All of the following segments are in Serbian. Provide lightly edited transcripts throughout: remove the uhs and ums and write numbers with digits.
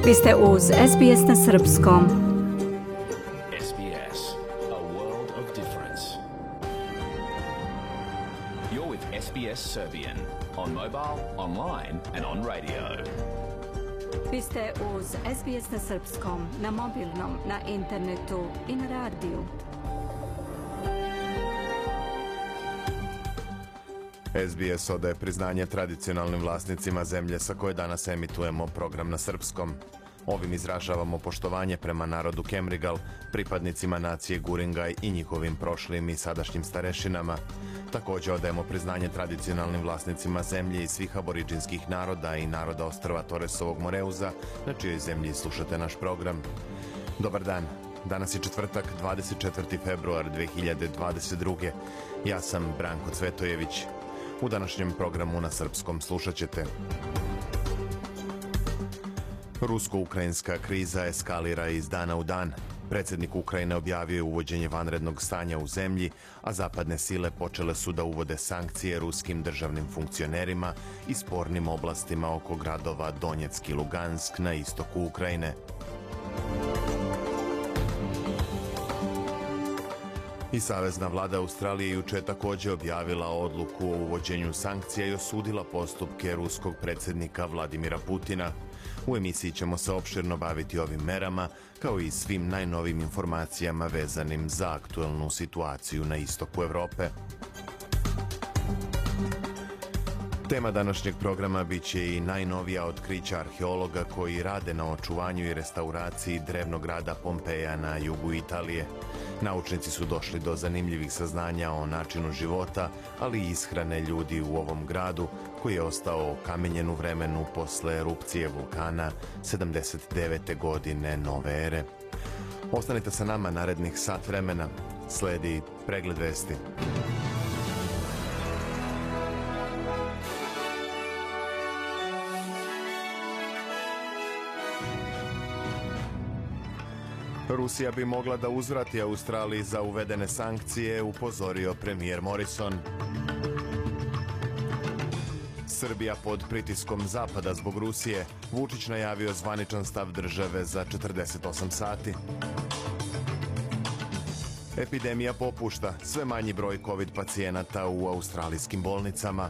Vi ste uz SBS na srpskom. SBS, a world of difference. You're with SBS Serbian on mobile, online and on radio. Vi ste uz SBS na srpskom, na mobilnom, na internetu i na radiju. SBS odaje priznanje tradicionalnim vlasnicima zemlje sa koje danas emitujemo program na srpskom. Ovim izražavamo poštovanje prema narodu Kemrigal, pripadnicima nacije Guringaj i njihovim prošlim i sadašnjim starešinama. Također odajemo priznanje tradicionalnim vlasnicima zemlje i svih aboriđinskih naroda i naroda ostrva Toresovog Moreuza, na čijoj zemlji slušate naš program. Dobar dan. Danas je četvrtak, 24. februar 2022. Ja sam Branko Cvetojević. U današnjem programu na srpskom slušat ćete: rusko-ukrajinska kriza eskalira iz dana u dan. Predsjednik Ukrajine objavio je uvođenje vanrednog stanja u zemlji, a zapadne sile počele su da uvode sankcije ruskim državnim funkcionerima i spornim oblastima oko gradova Donjeck i Lugansk na istoku Ukrajine. I Savezna vlada Australije juče je također objavila odluku o uvođenju sankcija i osudila postupke ruskog predsjednika Vladimira Putina. U emisiji ćemo se opširno baviti ovim merama, kao i svim najnovim informacijama vezanim za aktuelnu situaciju na istoku Evrope. Tema današnjeg programa bit će i najnovija otkrića arheologa koji rade na očuvanju i restauraciji drevnog grada Pompeja na jugu Italije. Naučnici su došli do zanimljivih saznanja o načinu života, ali i ishrane ljudi u ovom gradu, koji je ostao okamenjen u vremenu posle erupcije vulkana 79. godine nove ere. Ostanite sa nama narednih sat vremena. Sledi pregled vesti. Rusija bi mogla da uzvrati Australiji za uvedene sankcije, upozorio premijer Morrison. Srbija pod pritiskom Zapada zbog Rusije. Vučić najavio zvaničan stav države za 48 sati. Epidemija popušta, sve manji broj COVID pacijenata u australijskim bolnicama.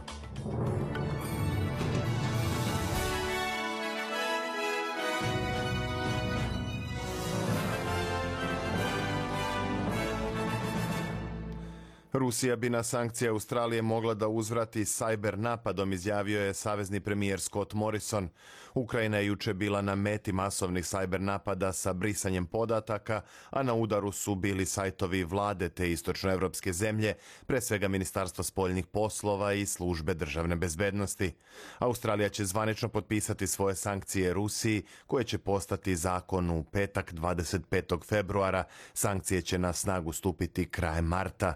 Rusija bi na sankcije Australije mogla da uzvrati sajber napadom, izjavio je savezni premijer Scott Morrison. Ukrajina je juče bila na meti masovnih sajber napada sa brisanjem podataka, a na udaru su bili sajtovi vlade te istočnoevropske zemlje, pre svega Ministarstva spoljnih poslova i službe državne bezbednosti. Australija će zvanično potpisati svoje sankcije Rusiji, koje će postati zakon u petak 25. februara. Sankcije će na snagu stupiti krajem marta.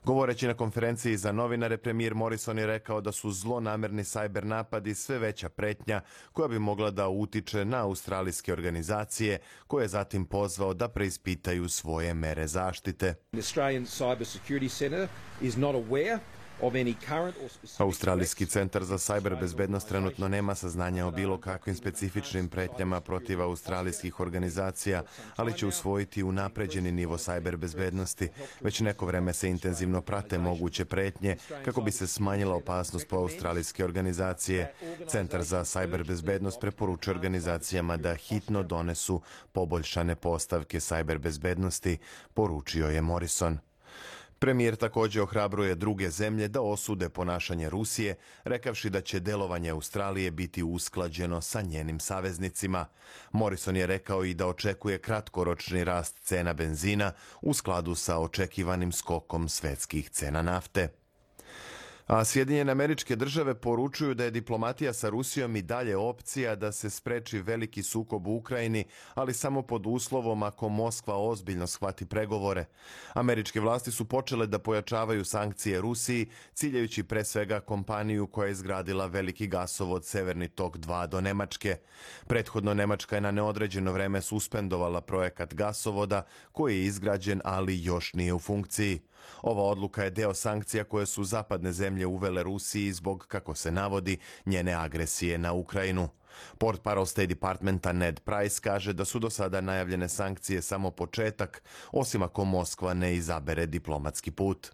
Govoreći na konferenciji za novinare, premijer Morrison je rekao da su zlonamerni sajber napadi sve veća pretnja koja bi mogla da utiče na australijske organizacije, koje je zatim pozvao da preispitaju svoje mere zaštite. Australijski centar za sajber bezbednost trenutno nema saznanja o bilo kakvim specifičnim pretnjama protiv australijskih organizacija, ali će usvojiti unapređeni nivo sajber bezbednosti. Već neko vreme se intenzivno prate moguće pretnje kako bi se smanjila opasnost po australijske organizacije. Centar za sajber bezbednost preporučuje organizacijama da hitno donesu poboljšane postavke sajber bezbednosti, poručio je Morrison. Premijer također ohrabruje druge zemlje da osude ponašanje Rusije, rekavši da će delovanje Australije biti usklađeno sa njenim saveznicima. Morrison je rekao i da očekuje kratkoročni rast cena benzina u skladu sa očekivanim skokom svetskih cena nafte. A Sjedinjene Američke Države poručuju da je diplomatija sa Rusijom i dalje opcija da se spreči veliki sukob u Ukrajini, ali samo pod uslovom ako Moskva ozbiljno shvati pregovore. Američke vlasti su počele da pojačavaju sankcije Rusiji, ciljajući pre svega kompaniju koja je izgradila veliki gasovod Severni tok 2 do Nemačke. Prethodno Nemačka je na neodređeno vreme suspendovala projekat gasovoda koji je izgrađen, ali još nije u funkciji. Ova odluka je deo sankcija koje su zapadne zemlje uvele Rusiji zbog, kako se navodi, njene agresije na Ukrajinu. Portparol State Departmenta Ned Price kaže da su do sada najavljene sankcije samo početak, osim ako Moskva ne izabere diplomatski put.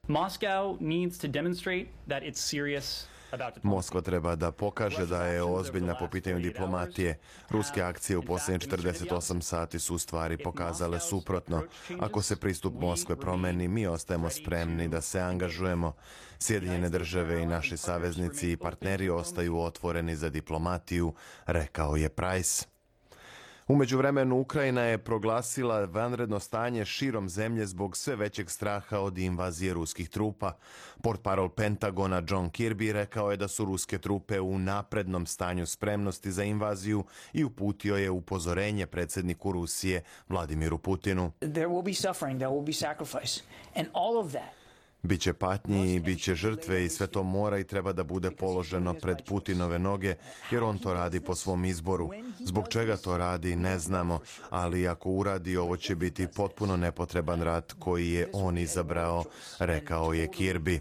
Moskva treba da pokaže da je ozbiljna po pitanju diplomatije. Ruske akcije u posljednjih 48 sati su u stvari pokazale suprotno. Ako se pristup Moskve promeni, mi ostajemo spremni da se angažujemo. Sjedinjene države i naši saveznici i partneri ostaju otvoreni za diplomatiju, rekao je Price. U međuvremenu Ukrajina je proglasila vanredno stanje širom zemlje zbog sve većeg straha od invazije ruskih trupa. Portparol Pentagona John Kirby rekao je da su ruske trupe u naprednom stanju spremnosti za invaziju i uputio je upozorenje predsjedniku Rusije Vladimiru Putinu. There will be suffering, there will be sacrifice, and all of that. Biće patnji i biće žrtve i sve to mora i treba da bude položeno pred Putinove noge, jer on to radi po svom izboru. Zbog čega to radi, ne znamo, ali ako uradi, ovo će biti potpuno nepotreban rat koji je on izabrao, rekao je Kirby.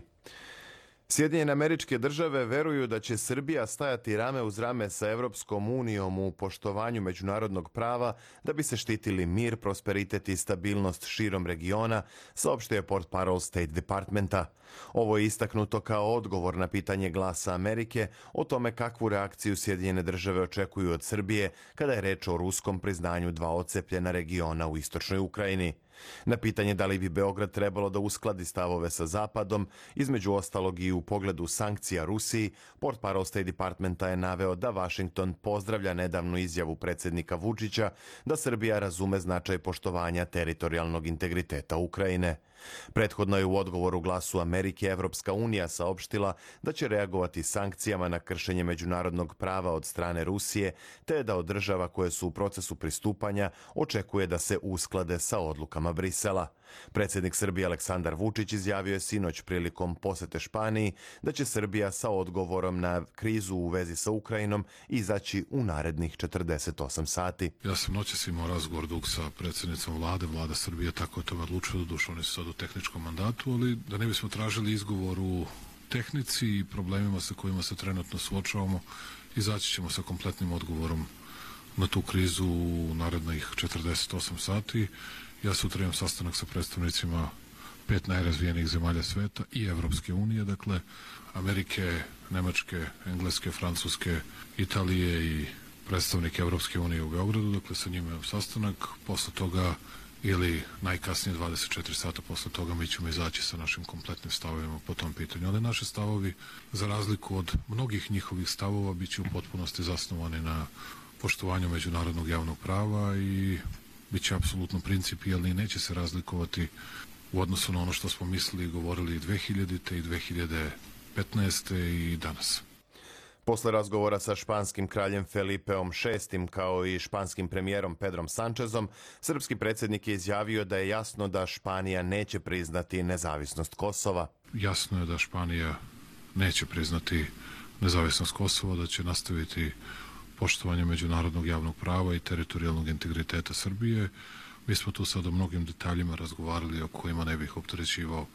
Sjedinjene Američke Države veruju da će Srbija stajati rame uz rame sa Evropskom unijom u poštovanju međunarodnog prava da bi se štitili mir, prosperitet i stabilnost širom regiona, saopštio je portparol State Departmenta. Ovo je istaknuto kao odgovor na pitanje Glasa Amerike o tome kakvu reakciju Sjedinjene Države očekuju od Srbije kada je reč o ruskom priznanju dva odcepljena regiona u istočnoj Ukrajini. Na pitanje da li bi Beograd trebalo da uskladi stavove sa Zapadom, između ostalog i u pogledu sankcija Rusiji, portparol State Departmenta je naveo da Washington pozdravlja nedavnu izjavu predsjednika Vučića da Srbija razume značaj poštovanja teritorijalnog integriteta Ukrajine. Prethodno je u odgovoru Glasu Amerike Evropska unija saopštila da će reagovati sankcijama na kršenje međunarodnog prava od strane Rusije, te da od država koje su u procesu pristupanja očekuje da se usklade sa odlukama Brisela. Predsjednik Srbije Aleksandar Vučić izjavio je sinoć prilikom posete Španiji da će Srbija sa odgovorom na krizu u vezi sa Ukrajinom izaći u narednih 48 sati. Ja sam noćas imao razgovor dug sa predsjednicom vlade, vlada Srbije tako je to odlučila, doduše oni su sad u tehničkom mandatu, ali da ne bismo tražili izgovor u tehnici i problemima sa kojima se trenutno suočavamo, izaći ćemo sa kompletnim odgovorom na tu krizu u narednih 48 sati. Ja sutra imam sastanak sa predstavnicima 5 najrazvijenijih zemalja sveta i Evropske unije, dakle Amerike, Nemačke, Engleske, Francuske, Italije i predstavnike Evropske unije u Beogradu, dakle sa njima imam sastanak. Posle toga ili najkasnije 24 sata posle toga mi ćemo izaći sa našim kompletnim stavovima po tom pitanju. Ali naše stavovi, za razliku od mnogih njihovih stavova, bit će u potpunosti zasnovani na poštovanju međunarodnog javnog prava i bit će apsolutno principijelni i neće se razlikovati u odnosu na ono što smo mislili i govorili 2000. i 2015. i danas. Posle razgovora sa španskim kraljem Felipeom VI kao i španskim premijerom Pedrom Sančezom, srpski predsjednik je izjavio da je jasno da Španija neće priznati nezavisnost Kosova. Jasno je da Španija neće priznati nezavisnost Kosova, da će nastaviti poštovanje međunarodnog javnog prava i teritorijalnog integriteta Srbije. Mi smo tu sad o mnogim detaljima razgovarali o kojima ne bih opterećivao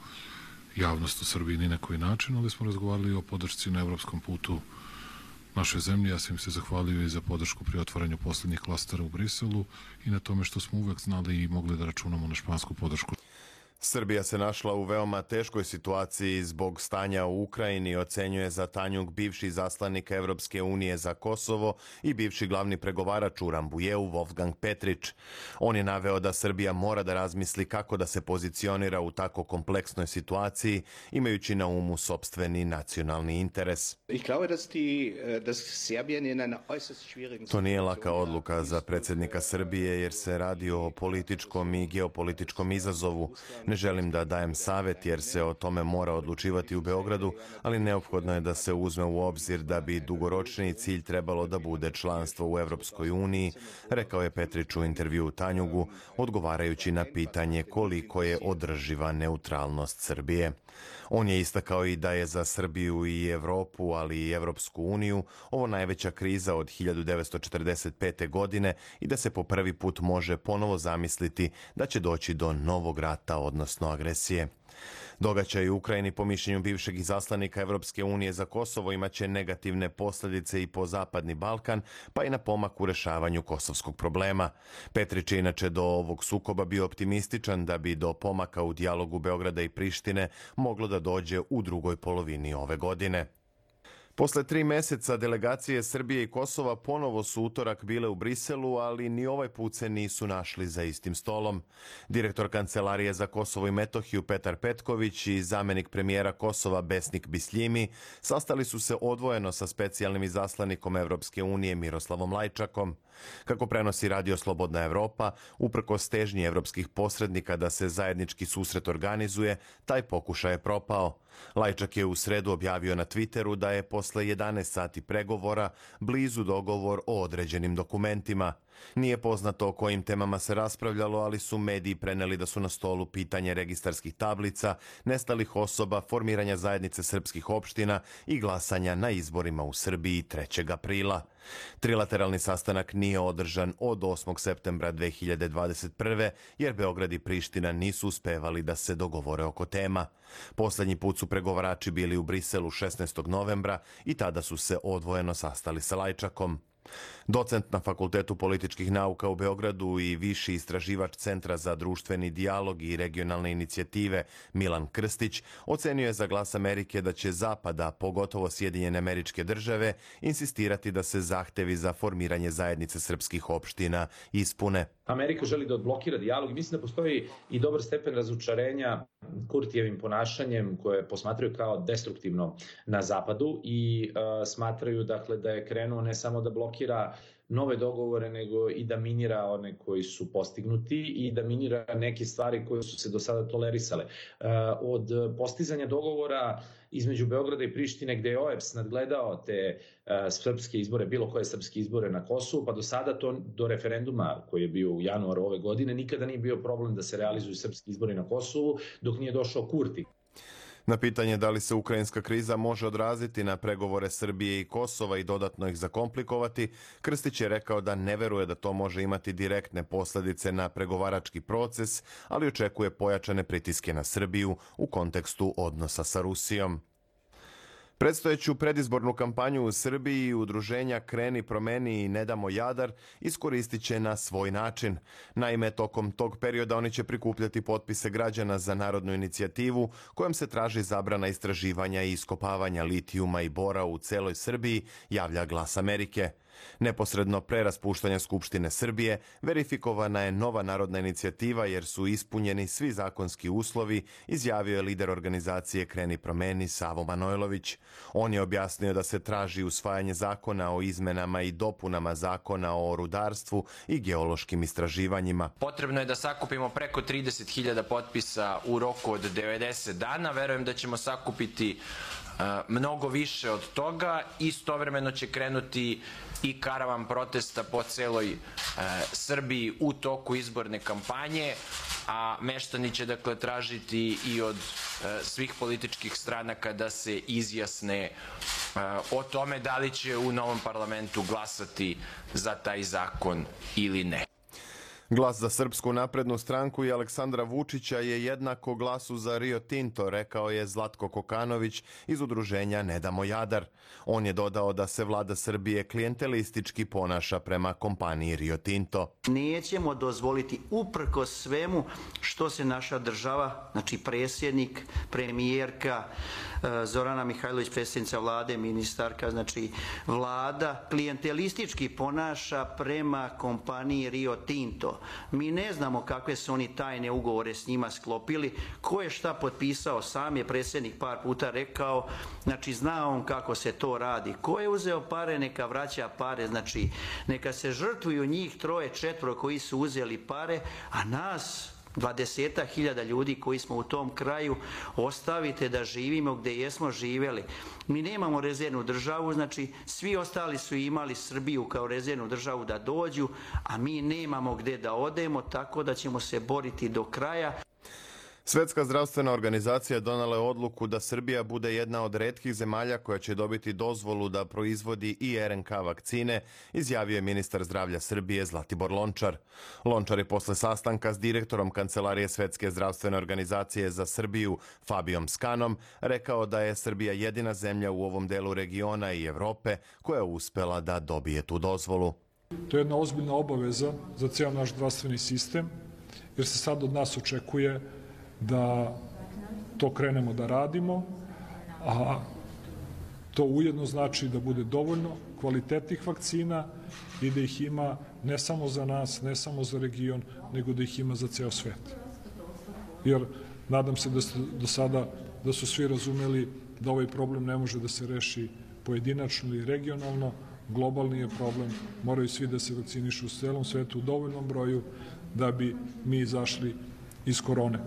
javnost u Srbiji ni na koji način, ali smo razgovarali o podršci na evropskom putu našoj zemlji. Ja sam im se zahvalio i za podršku pri otvaranju posljednjih klastera u Briselu i na tome što smo uvek znali i mogli da računamo na špansku podršku. Srbija se našla u veoma teškoj situaciji zbog stanja u Ukrajini, ocenjuje za Tanjug bivši zaslanik Evropske unije za Kosovo i bivši glavni pregovarač u Rambujeu Wolfgang Petrić. On je naveo da Srbija mora da razmisli kako da se pozicionira u tako kompleksnoj situaciji, imajući na umu sopstveni nacionalni interes. To nije laka odluka za predsjednika Srbije jer se radi o političkom i geopolitičkom izazovu. Ne želim da dajem savjet jer se o tome mora odlučivati u Beogradu, ali neophodno je da se uzme u obzir da bi dugoročni cilj trebalo da bude članstvo u Evropskoj uniji, rekao je Petrić u intervju u Tanjugu, odgovarajući na pitanje koliko je održiva neutralnost Srbije. On je istakao i da je za Srbiju i Evropu, ali i Evropsku uniju, ovo najveća kriza od 1945. godine i da se po prvi put može ponovo zamisliti da će doći do novog rata, odnosno odnosno agresije. Događaj u Ukrajini, po mišljenju bivšeg izaslanika Evropske unije za Kosovo, imaće negativne posljedice i po Zapadni Balkan, pa i na pomak u rešavanju kosovskog problema. Petrić je inače do ovog sukoba bio optimističan da bi do pomaka u dijalogu Beograda i Prištine moglo da dođe u drugoj polovini ove godine. Posle 3 meseca delegacije Srbije i Kosova ponovo su utorak bile u Briselu, ali ni ovaj put se nisu našli za istim stolom. Direktor Kancelarije za Kosovo i Metohiju Petar Petković i zamenik premijera Kosova Besnik Bisljimi sastali su se odvojeno sa specijalnim izaslanikom Evropske unije Miroslavom Lajčakom. Kako prenosi Radio Slobodna Evropa, uprkos težnji evropskih posrednika da se zajednički susret organizuje, taj pokušaj je propao. Lajčak je u sredu objavio na Twitteru da je posle 11 sati pregovora blizu dogovor o određenim dokumentima. Nije poznato o kojim temama se raspravljalo, ali su mediji preneli da su na stolu pitanje registarskih tablica, nestalih osoba, formiranja zajednice srpskih opština i glasanja na izborima u Srbiji 3. aprila. Trilateralni sastanak nije održan od 8. septembra 2021. jer Beograd i Priština nisu uspevali da se dogovore oko tema. Poslednji put su pregovarači bili u Briselu 16. novembra i tada su se odvojeno sastali sa Lajčakom. Docent na Fakultetu političkih nauka u Beogradu i viši istraživač Centra za društveni dijalog i regionalne inicijative Milan Krstić ocenio je za Glas Amerike da će Zapada, pogotovo Sjedinjene Američke Države, insistirati da se zahtevi za formiranje zajednice srpskih opština ispune. Amerika želi da odblokira dijalog i mislim da postoji i dobar stepen razočarenja Kurtijevim ponašanjem koje posmatraju kao destruktivno na Zapadu i smatraju dakle da je krenuo ne samo da blokira nove dogovore, nego i da minira one koji su postignuti i da minira neke stvari koje su se do sada tolerisale. Od postizanja dogovora između Beograda i Prištine, gde je OEBS nadgledao te srpske izbore, bilo koje srpske izbore na Kosovu, pa do sada to do referenduma koji je bio u januaru ove godine, nikada nije bio problem da se realizuju srpski izbori na Kosovu dok nije došao Kurti. Na pitanje da li se ukrajinska kriza može odraziti na pregovore Srbije i Kosova i dodatno ih zakomplikovati, Krstić je rekao da ne veruje da to može imati direktne posledice na pregovarački proces, ali očekuje pojačane pritiske na Srbiju u kontekstu odnosa sa Rusijom. Predstojeću predizbornu kampanju u Srbiji udruženja Kreni, promeni i Ne damo Jadar iskoristit će na svoj način. Naime, tokom tog perioda oni će prikupljati potpise građana za narodnu inicijativu kojom se traži zabrana istraživanja i iskopavanja litijuma i bora u celoj Srbiji, javlja Glas Amerike. Neposredno pre raspuštanja Skupštine Srbije verifikovana je nova narodna inicijativa jer su ispunjeni svi zakonski uslovi, izjavio je lider organizacije Kreni promeni Savo Manojlović. On je objasnio da se traži usvajanje zakona o izmenama i dopunama zakona o rudarstvu i geološkim istraživanjima. Potrebno je da sakupimo preko 30.000 potpisa u roku od 90 dana. Verujem da ćemo sakupiti mnogo više od toga. Istovremeno će krenuti i karavan protesta po celoj Srbiji u toku izborne kampanje, a meštani će dakle tražiti i od svih političkih stranaka da se izjasne o tome da li će u novom parlamentu glasati za taj zakon ili ne. Glas za Srpsku naprednu stranku i Aleksandra Vučića je jednako glasu za Rio Tinto, rekao je Zlatko Kokanović iz udruženja Ne damo Jadar. On je dodao da se vlada Srbije klijentelistički ponaša prema kompaniji Rio Tinto. Nećemo dozvoliti uprkos svemu što se naša država, znači predsjednik, premijerka, Zorana Mihajlović, predsjednica vlade, ministarka, znači vlada klijentelistički ponaša prema kompaniji Rio Tinto. Mi ne znamo kakve su oni tajne ugovore s njima sklopili, ko je šta potpisao, sam je predsjednik par puta rekao, znači zna on kako se to radi. Ko je uzeo pare, neka vraća pare, znači neka se žrtvuju njih 3-4 koji su uzeli pare, a nas 20.000 ljudi koji smo u tom kraju ostavite da živimo gde jesmo živjeli. Mi nemamo rezervnu državu, znači svi ostali su imali Srbiju kao rezervnu državu da dođu, a mi nemamo gde da odemo, tako da ćemo se boriti do kraja. Svetska zdravstvena organizacija donala je odluku da Srbija bude jedna od retkih zemalja koja će dobiti dozvolu da proizvodi i RNK vakcine, izjavio je ministar zdravlja Srbije Zlatibor Lončar. Lončar je posle sastanka s direktorom Kancelarije Svetske zdravstvene organizacije za Srbiju Fabijom Skanom rekao da je Srbija jedina zemlja u ovom delu regiona i Evrope koja je uspela da dobije tu dozvolu. To je jedna ozbiljna obaveza za cijel naš zdravstveni sistem, jer se sad od nas očekuje da to krenemo da radimo, a to ujedno znači da bude dovoljno kvalitetnih vakcina i da ih ima ne samo za nas, ne samo za region, nego da ih ima za ceo svet. Jer nadam se da do sada da su svi razumeli da ovaj problem ne može da se reši pojedinačno ili regionalno, globalni je problem, moraju svi da se vakcinišu u celom svetu u dovoljnom broju da bi mi izašli iz korone.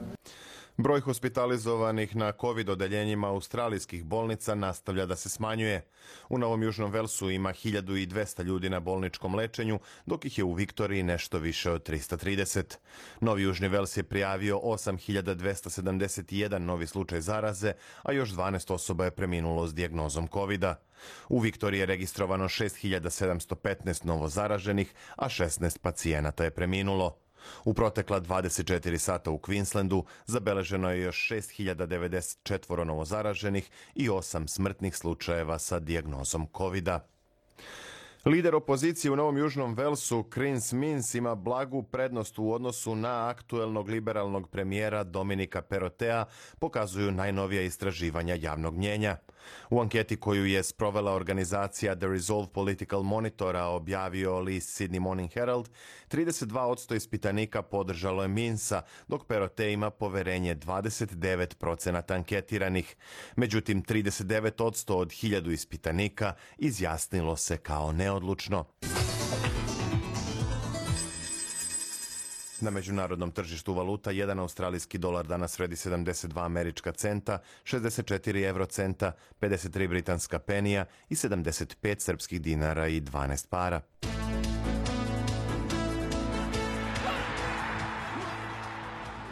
Broj hospitalizovanih na COVID odeljenjima australijskih bolnica nastavlja da se smanjuje. U Novom Južnom Velsu ima 1200 ljudi na bolničkom lečenju, dok ih je u Viktoriji nešto više od 330. Novi Južni Vels je prijavio 8271 novi slučaj zaraze, a još 12 osoba je preminulo s dijagnozom COVID-a. U Viktoriji je registrovano 6715 novo zaraženih, a 16 pacijenata je preminulo. U protekla 24 sata u Queenslandu zabeleženo je još 6094 novozaraženih i 8 smrtnih slučajeva sa dijagnozom COVID-a. Lider opozicije u Novom Južnom Velsu, Chris Minns, ima blagu prednost u odnosu na aktuelnog liberalnog premijera Dominika Perottea, pokazuju najnovija istraživanja javnog mnjenja. U anketi koju je sprovela organizacija The Resolve Political Monitora objavio list Sydney Morning Herald, 32% ispitanika podržalo je Minnsa, dok Perottea ima poverenje 29% anketiranih. Međutim, 39% od 1000 ispitanika izjasnilo se kao neodlučno. Na međunarodnom tržištu valuta jedan australijski dolar danas vredi 72 američka centa, 64 eurocenta, 53 britanska penija i 75 srpskih dinara i 12 para.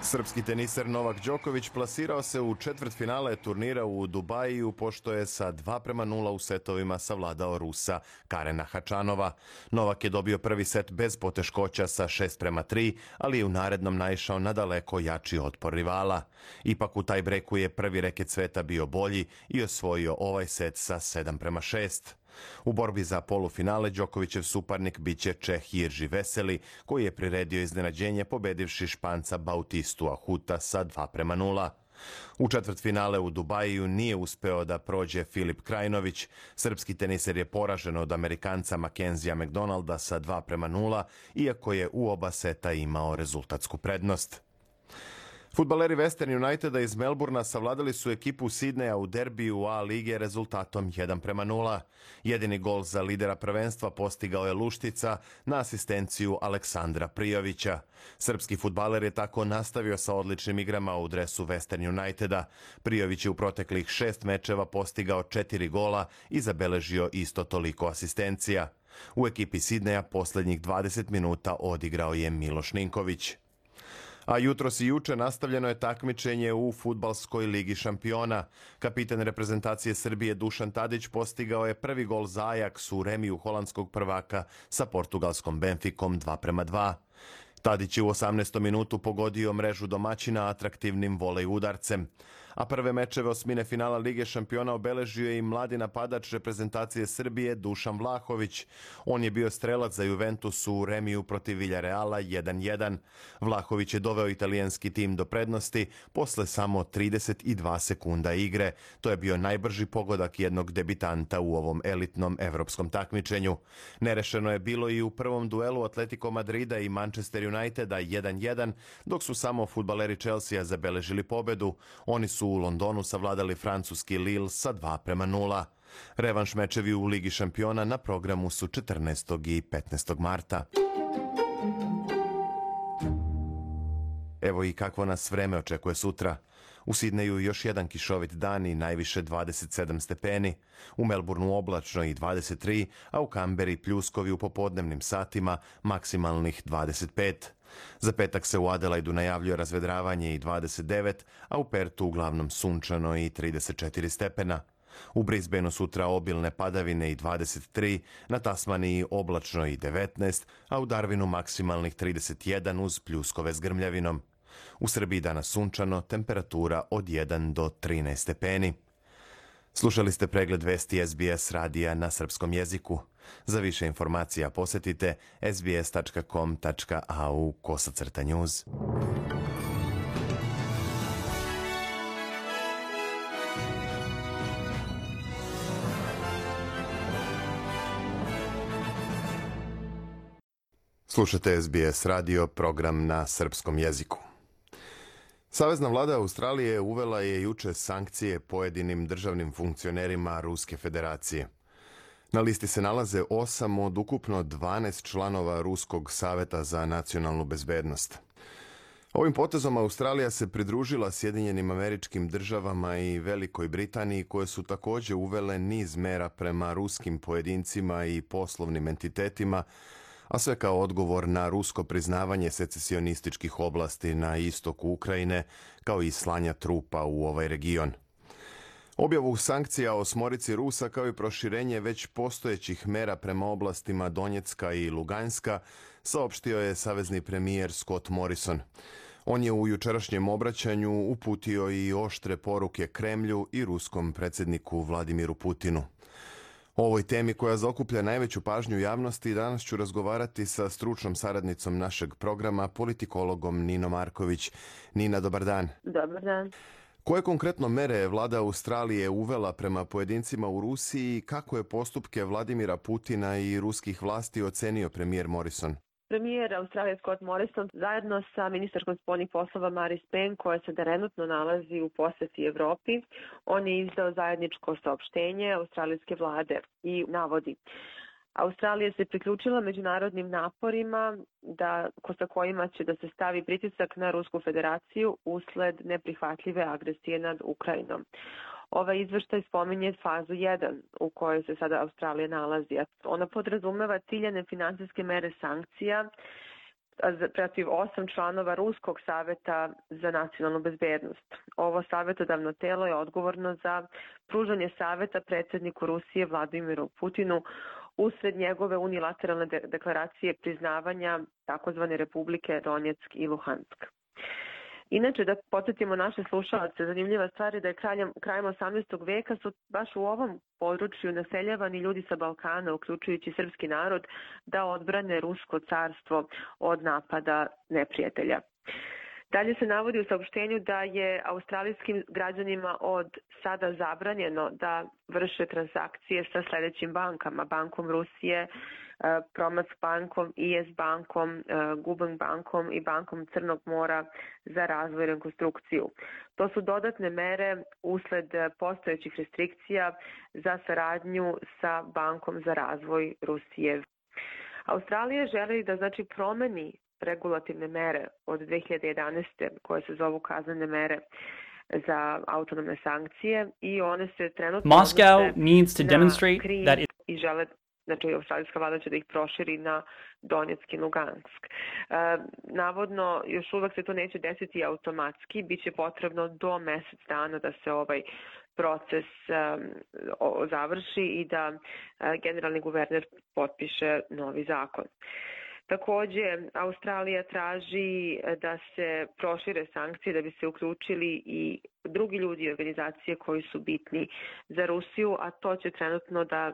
Srpski teniser Novak Đoković plasirao se u četvrtfinale turnira u Dubaju, pošto je sa 2:0 u setovima savladao Rusa Karena Hačanova. Novak je dobio prvi set bez poteškoća sa 6:3, ali je u narednom naišao na daleko jači otpor rivala. Ipak u taj breku je prvi reket sveta bio bolji i osvojio ovaj set sa 7:6. U borbi za polufinale Đokovićev suparnik biće Čeh Jirži Veseli, koji je priredio iznenađenje pobedivši Španca Bautistu Ahuta sa 2:0. U četvrtfinale u Dubaju nije uspeo da prođe Filip Krajinović. Srpski teniser je poražen od Amerikanca Mackenzija McDonalda sa 2:0, iako je u oba seta imao rezultatsku prednost. Fudbaleri Western Uniteda iz Melburna savladali su ekipu Sidneja u derbiju A lige rezultatom 1:0. Jedini gol za lidera prvenstva postigao je Luštica na asistenciju Aleksandra Prijovića. Srpski fudbaler je tako nastavio sa odličnim igrama u dresu Western Uniteda. Prijović je u proteklih 6 mečeva postigao 4 gola i zabeležio isto toliko asistencija. U ekipi Sidneja poslednjih 20 minuta odigrao je Miloš Ninković. A jutros i juče nastavljeno je takmičenje u Fudbalskoj ligi šampiona. Kapitan reprezentacije Srbije Dušan Tadić postigao je prvi gol za Ajax u remiju holandskog prvaka sa portugalskom Benficom 2:2. Tadić je u 18. minutu pogodio mrežu domaćina atraktivnim volej udarcem. A prve mečeve osmine finala Lige šampiona obeležio je i mladi napadač reprezentacije Srbije Dušan Vlahović. On je bio strelac za Juventus u remiju protiv Villarreala 1:1. Vlahović je doveo italijanski tim do prednosti posle samo 32 sekunda igre. To je bio najbrži pogodak jednog debitanta u ovom elitnom evropskom takmičenju. Nerešeno je bilo i u prvom duelu Atletico Madrida i Manchester Uniteda 1:1, dok su samo fudbaleri Chelsea zabeležili pobedu. Oni su u Londonu savladali francuski Lille sa 2:0. Revanš mečevi u Ligi šampiona na programu su 14. i 15. marta. Evo i kakvo nas vreme očekuje sutra. U Sidneju još jedan kišovit dan i najviše 27 stepeni. U Melbourneu oblačno i 23, a u Kamberi pljuskovi u popodnevnim satima, maksimalnih 25. Za petak se u Adelaidu najavljuje razvedravanje i 29, a u Pertu uglavnom sunčano i 34 stepena. U Brisbaneu sutra obilne padavine i 23, na Tasmaniji oblačno i 19, a u Darwinu maksimalnih 31 uz pljuskove s grmljavinom. U Srbiji danas sunčano, temperatura od 1 do 13 stepeni. Slušali ste pregled vesti SBS radija na srpskom jeziku. Za više informacija posjetite sbs.com.au/news. Slušate SBS radio, program na srpskom jeziku. Savezna vlada Australije uvela je juče sankcije pojedinim državnim funkcionerima Ruske federacije. Na listi se nalaze 8 od ukupno 12 članova Ruskog saveta za nacionalnu bezbednost. Ovim potezom Australija se pridružila Sjedinjenim Američkim Državama i Velikoj Britaniji, koje su također uvele niz mera prema ruskim pojedincima i poslovnim entitetima, a sve kao odgovor na rusko priznavanje secesionističkih oblasti na istoku Ukrajine, kao i slanja trupa u ovaj region. Objavu sankcija osmorici Rusa, kao i proširenje već postojećih mera prema oblastima Donjecka i Luganska, saopštio je savezni premijer Scott Morrison. On je u jučerašnjem obraćanju uputio i oštre poruke Kremlju i ruskom predsjedniku Vladimiru Putinu. O ovoj temi koja zaokuplja najveću pažnju javnosti danas ću razgovarati sa stručnom saradnicom našeg programa, politikologom Ninom Marković. Nina, dobar dan. Dobar dan. Koje konkretno mere je vlada Australije uvela prema pojedincima u Rusiji i kako je postupke Vladimira Putina i ruskih vlasti ocenio premijer Morrison? Premijer Australije Scott Morrison zajedno sa ministarkom spoljnih poslova Maris Payne, koja se trenutno nalazi u posjeti Evropi, on je izdao zajedničko saopštenje australijske vlade i navodi: Australija se priključila međunarodnim naporima sa kojima će da se stavi pritisak na Rusku federaciju usled neprihvatljive agresije nad Ukrajinom. Ovaj izveštaj spominje fazu 1 u kojoj se sada Australija nalazi. Ona podrazumeva ciljane finansijske mere sankcija protiv 8 članova Ruskog saveta za nacionalnu bezbednost. Ovo savjetodavno telo je odgovorno za pružanje saveta predsjedniku Rusije Vladimiru Putinu usred njegove unilateralne deklaracije priznavanja takozvane Republike Donjeck i Luhansk. Inače, da podsjetimo naše slušalce, zanimljiva stvar je da je krajem 18. veka su baš u ovom području naseljavani ljudi sa Balkana, uključujući srpski narod, da odbrane Rusko carstvo od napada neprijatelja. Dalje se navodi u saopštenju da je australijskim građanima od sada zabranjeno da vrše transakcije sa sljedećim bankama: Bankom Rusije, Promac bankom, IS bankom, Gubank bankom i Bankom Crnog mora za razvoj i rekonstrukciju. To su dodatne mere usled postojećih restrikcija za saradnju sa Bankom za razvoj Rusije. Australija želi da promeni regulativne mere od 2011. koje se zovu kaznene mere za autonomne sankcije i one se trenutno Moscow needs to demonstrate that i žele, australijska vlada će da ih proširi na Donjeck i Lugansk. Navodno, još uvek se to neće desiti automatski, bit će potrebno do mjesec dana da se ovaj proces završi i da generalni guverner potpiše novi zakon. Također, Australija traži da se prošire sankcije da bi se uključili i drugi ljudi i organizacije koji su bitni za Rusiju, a to će trenutno da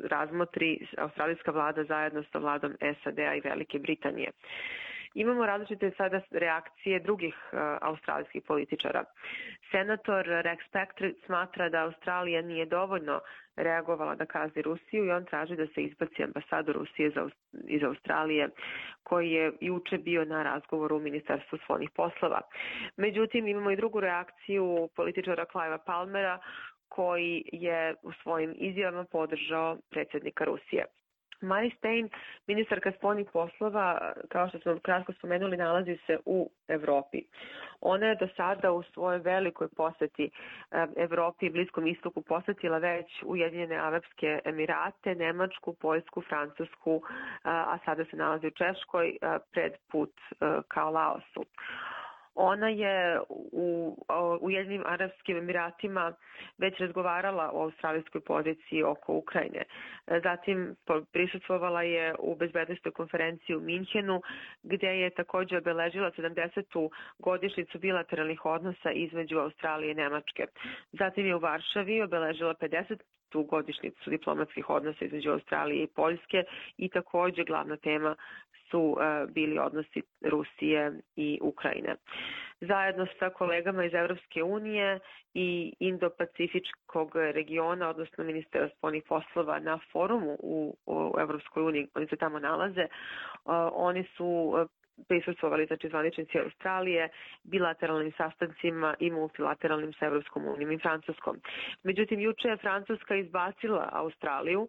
razmotri australijska vlada zajedno sa vladom SAD-a i Velike Britanije. Imamo različite sada reakcije drugih australijskih političara. Senator Rex Patrick smatra da Australija nije dovoljno reagovala da kazni Rusiju i on traži da se izbaci ambasador Rusije iz Australije, koji je juče bio na razgovoru u Ministarstvu spoljnih poslova. Međutim, imamo i drugu reakciju političara Clivea Palmera, koji je u svojim izjavama podržao predsjednika Rusije. Marise Payne, ministarka spoljnih poslova, kao što smo kratko spomenuli, nalazi se u Evropi. Ona je do sada u svojoj velikoj poseti Evropi i Bliskom istoku posetila već Ujedinjene Arapske Emirate, Nemačku, Poljsku, Francusku, a sada se nalazi u Češkoj pred put ka Laosu. Ona je u Ujedinjenim Arapskim Emiratima već razgovarala o australijskoj poziciji oko Ukrajine. Zatim prisustvovala je u bezbednosnoj konferenciji u Minhenu, gdje je također obeležila 70. godišnjicu bilateralnih odnosa između Australije i Nemačke. Zatim je u Varšavi obeležila 50. godišnjicu diplomatskih odnosa između Australije i Poljske i također glavna tema su bili odnosi Rusije i Ukrajine. Zajedno sa kolegama iz Evropske unije i Indo-Pacifičkog regiona, odnosno ministra spoljnih poslova na forumu u Evropskoj uniji, oni se tamo nalaze, oni su prisustvovali, znači zvaničnici Australije, bilateralnim sastancima i multilateralnim sa Evropskom unijom i Francuskom. Međutim, juče je Francuska izbacila Australiju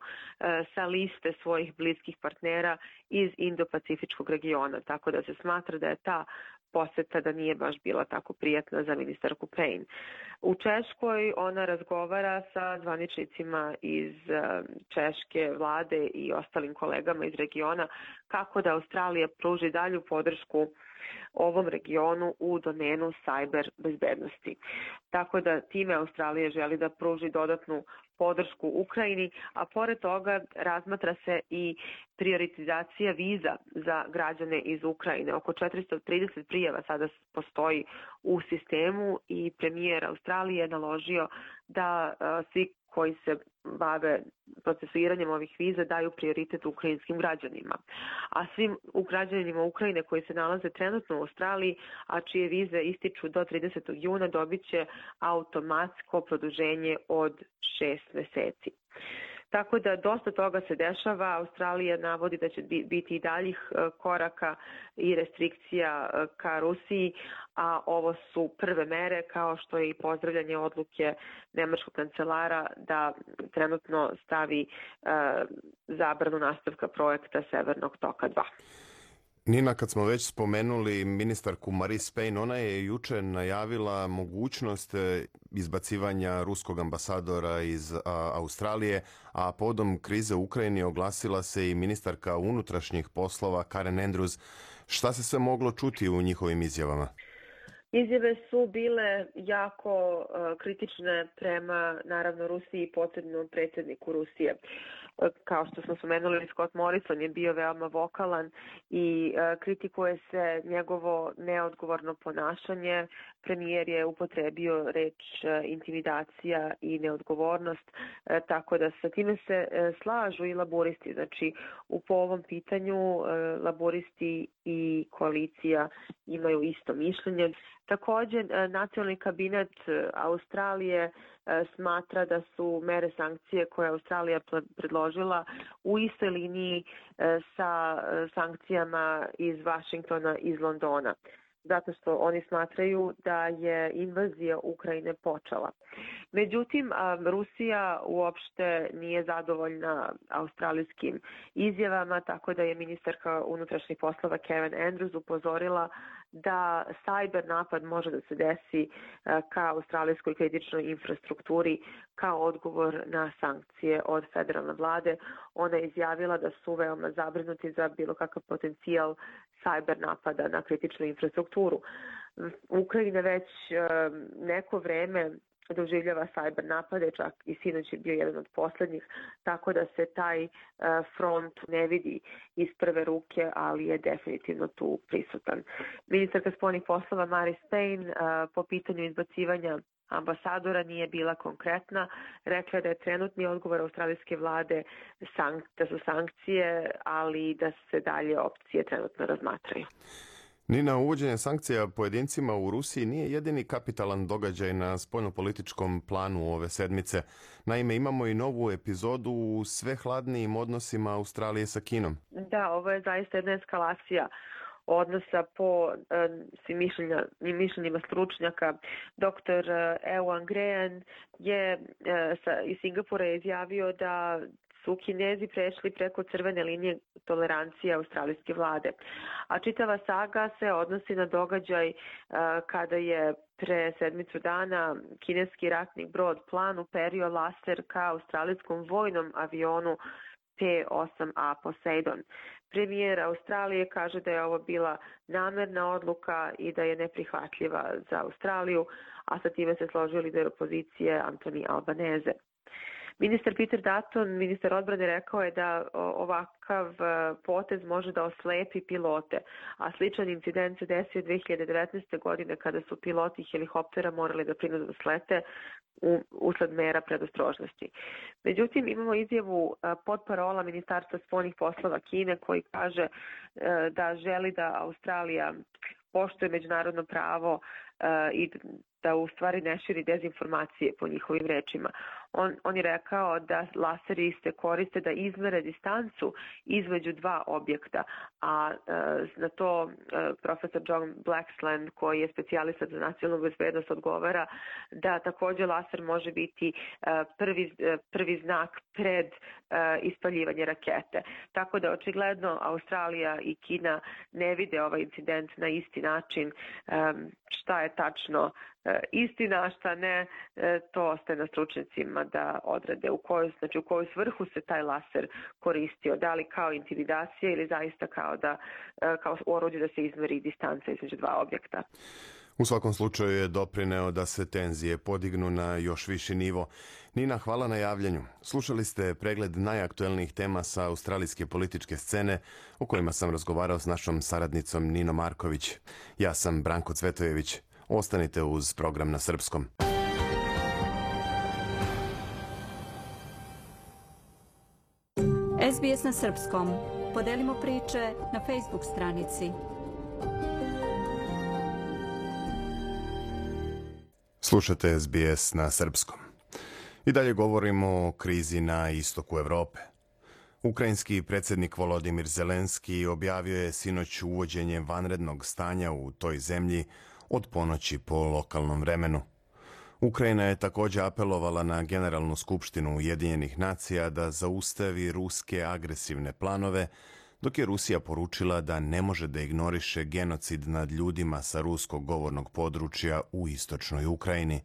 sa liste svojih bliskih partnera iz Indo-Pacifičkog regiona, tako da se smatra da je ta poseta da nije baš bila tako prijatna za ministarku Payne. U Češkoj ona razgovara sa zvaničnicima iz češke vlade i ostalim kolegama iz regiona kako da Australija pruži dalju podršku ovom regionu u domenu cyber bezbednosti. Tako da time Australija želi da pruži dodatnu podršku Ukrajini, a pored toga razmatra se i prioritizacija viza za građane iz Ukrajine. Oko 430 prijava sada postoji u sistemu i premijer Australije je naložio da svi koji se bave procesuiranjem ovih viza daju prioritet ukrajinskim građanima. A svim građanima Ukrajine koji se nalaze trenutno u Australiji, a čije vize ističu do 30. juna, dobit će automatsko produženje od 6 meseci. Tako da dosta toga se dešava. Australija navodi da će biti i daljih koraka i restrikcija ka Rusiji, a ovo su prve mere, kao što je i pozdravljanje odluke nemačkog kancelara da trenutno stavi zabranu nastavka projekta Severnog toka 2. Nina, kad smo već spomenuli ministarku Marise Payne, ona je juče najavila mogućnost izbacivanja ruskog ambasadora iz Australije, a povodom krize u Ukrajini oglasila se i ministarka unutrašnjih poslova Karen Andrews. Šta se sve moglo čuti u njihovim izjavama? Izjave su bile jako kritične prema, naravno, Rusiji i posebno predsjedniku Rusije. Kao što smo spomenuli, Scott Morrison je bio veoma vokalan i kritikuje se njegovo neodgovorno ponašanje. Premijer je upotrebio reč intimidacija i neodgovornost, tako da sa time se slažu i laburisti. Znači, po ovom pitanju laburisti i koalicija imaju isto mišljenje. Također, nacionalni kabinet Australije smatra da su mere sankcije koje je Australija predložila u istoj liniji sa sankcijama iz Vašingtona, iz Londona. Zato što oni smatraju da je invazija Ukrajine počela. Međutim, Rusija uopšte nije zadovoljna australijskim izjavama, tako da je ministarka unutrašnjih poslova Karen Andrews upozorila da cyber napad može da se desi ka australijskoj kritičnoj infrastrukturi kao odgovor na sankcije od federalne vlade. Ona je izjavila da su veoma zabrinuti za bilo kakav potencijal cyber napada na kritičnu infrastrukturu. Ukrajina već neko vreme doživljava cyber napade, čak i sinoć je bio jedan od posljednjih, tako da se taj front ne vidi iz prve ruke, ali je definitivno tu prisutan. Ministarka spoljnih poslova Marise Payne po pitanju izbacivanja ambasadora nije bila konkretna. Rekla da je trenutni odgovor australijske vlade da su sankcije, ali da se dalje opcije trenutno razmatraju. Nina, uvođenje sankcija pojedincima u Rusiji nije jedini kapitalan događaj na spoljnopolitičkom planu ove sedmice. Naime, imamo i novu epizodu u sve hladnijim odnosima Australije sa Kinom. Da, ovo je zaista jedna eskalacija odnosa po svim mišljenjima stručnjaka. Dr. Ewan Graham je iz Singapura izjavio da su Kinezi prešli preko crvene linije tolerancije australijske vlade. A čitava saga se odnosi na događaj kada je pre sedmicu dana kineski ratni brod Plan uperio laser ka australijskom vojnom avionu P-8A Poseidon. Premijer Australije kaže da je ovo bila namerna odluka i da je neprihvatljiva za Australiju, a sa time se složio lider opozicije Anthony Albanese. Ministar Peter Dutton, ministar odbrane, rekao je da ovakav potez može da oslepi pilote, a sličan incident se desio 2019. godine kada su piloti helikoptera morali da prinudno slete usled mera predostrožnosti. Međutim, imamo izjavu potparola Ministarstva spoljnih poslova Kine koji kaže da želi da Australija poštuje međunarodno pravo i da u stvari ne širi dezinformacije po njihovim rečima. On je rekao da laseri se koriste da izmere distancu između dva objekta, a na to profesor John Blaxland, koji je specijalistat za nacionalnu bezbednost, odgovara da također laser može biti prvi znak pred ispaljivanje rakete. Tako da očigledno Australija i Kina ne vide ovaj incident na isti način. Šta je tačno istina, a šta ne, to ostaje na stručnjacima da odrede u koju svrhu se taj laser koristio, da li kao intimidacija ili zaista kao oruđe da se izmeri distanca između dva objekta. U svakom slučaju je doprineo da se tenzije podignu na još viši nivo. Nina, hvala na javljanju. Slušali ste pregled najaktuelnijih tema sa australijske političke scene o kojima sam razgovarao s našom saradnicom Ninom Marković. Ja sam Branko Cvetojević. Ostanite uz program na srpskom. SBS na srpskom. Podelimo priče na Facebook stranici. Slušate SBS na srpskom. I dalje govorimo o krizi na istoku Evrope. Ukrajinski predsjednik Volodimir Zelenski objavio je sinoć uvođenje vanrednog stanja u toj zemlji od ponoći po lokalnom vremenu. Ukrajina je također apelovala na Generalnu skupštinu Ujedinjenih nacija da zaustavi ruske agresivne planove, dok je Rusija poručila da ne može da ignoriše genocid nad ljudima sa ruskog govornog područja u istočnoj Ukrajini.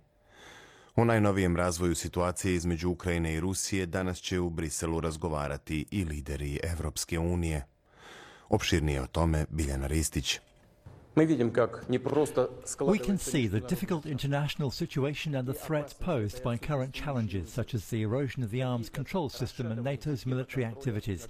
O najnovijem razvoju situacije između Ukrajine i Rusije danas će u Briselu razgovarati i lideri Evropske unije. Opširnije o tome Biljana Ristić. We can see the difficult international situation and the threats posed by current challenges such as the erosion of the arms control system and NATO's military activities.